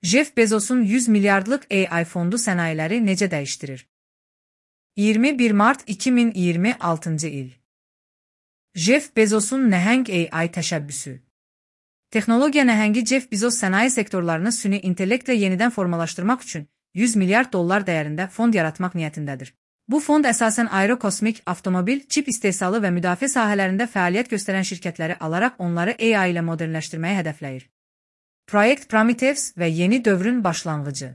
Jeff Bezos'un 100 milyardlık AI fondu sənayeləri necə dəyişdirir? 21 Mart 2026 il. Jeff Bezos'un nəhəng AI təşəbbüsü. Texnologiya nəhəngi Jeff Bezos sənaye sektorlarını süni intellektlə yenidən formalaşdırmaq üçün 100 milyard dollar dəyərində fond yaratmaq niyyətindədir. Bu fond əsasən aerokosmik, avtomobil, çip istehsalı və müdafiə sahələrində fəaliyyət göstərən şirkətləri alaraq onları AI ilə modernləşdirməyi hədəfləyir. Proyekt Prometheus və yeni dövrün başlanğıcı.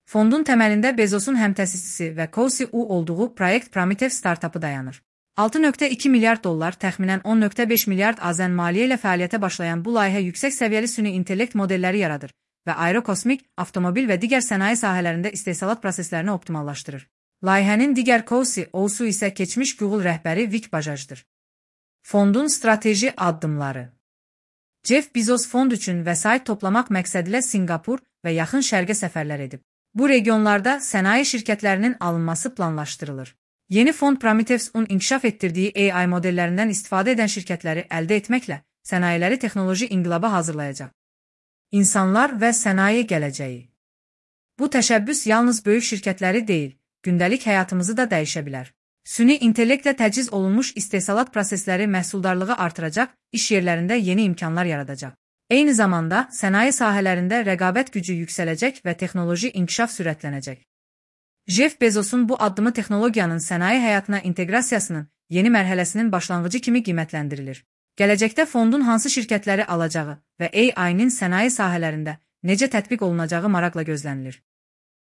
Fondun təməlində Bezos'un həmtəsisçisi və co-CEO olduğu Proyekt Prometheus startapı dayanır. 6,2 milyard dollar, təxminən 10,5 milyard AZN maliyyə ilə fəaliyyətə başlayan bu layihə yüksək səviyyəli süni intellekt modelləri yaradır və aerokosmik, avtomobil və digər sənaye sahələrində istehsalat proseslərini optimallaşdırır. Layihənin digər co-CEO'su isə keçmiş Google rəhbəri Vic Bajajdır. Fondun strateji addımları. Jeff Bezos fond üçün vəsait toplamaq məqsədilə Singapur və yaxın şərqə səfərlər edib. Bu regionlarda sənaye şirkətlərinin alınması planlaşdırılır. Yeni fond Prometheus'un inkişaf etdirdiyi AI modellərindən istifadə edən şirkətləri əldə etməklə sənayeləri texnoloji inqilaba hazırlayacaq. İnsanlar və sənaye gələcəyi. Bu təşəbbüs yalnız böyük şirkətləri deyil, gündəlik həyatımızı da dəyişə bilər. Süni intellektlə təchiz olunmuş istehsalat prosesləri məhsuldarlığı artıracaq, iş yerlərində yeni imkanlar yaradacaq. Eyni zamanda sənaye sahələrində rəqabət gücü yüksələcək və texnoloji inkişaf sürətlənəcək. Jeff Bezos'un bu addımı texnologiyanın sənaye həyatına inteqrasiyasının yeni mərhələsinin başlanğıcı kimi qiymətləndirilir. Gələcəkdə fondun hansı şirkətləri alacağı və AI-nin sənaye sahələrində necə tətbiq olunacağı maraqla gözlənilir.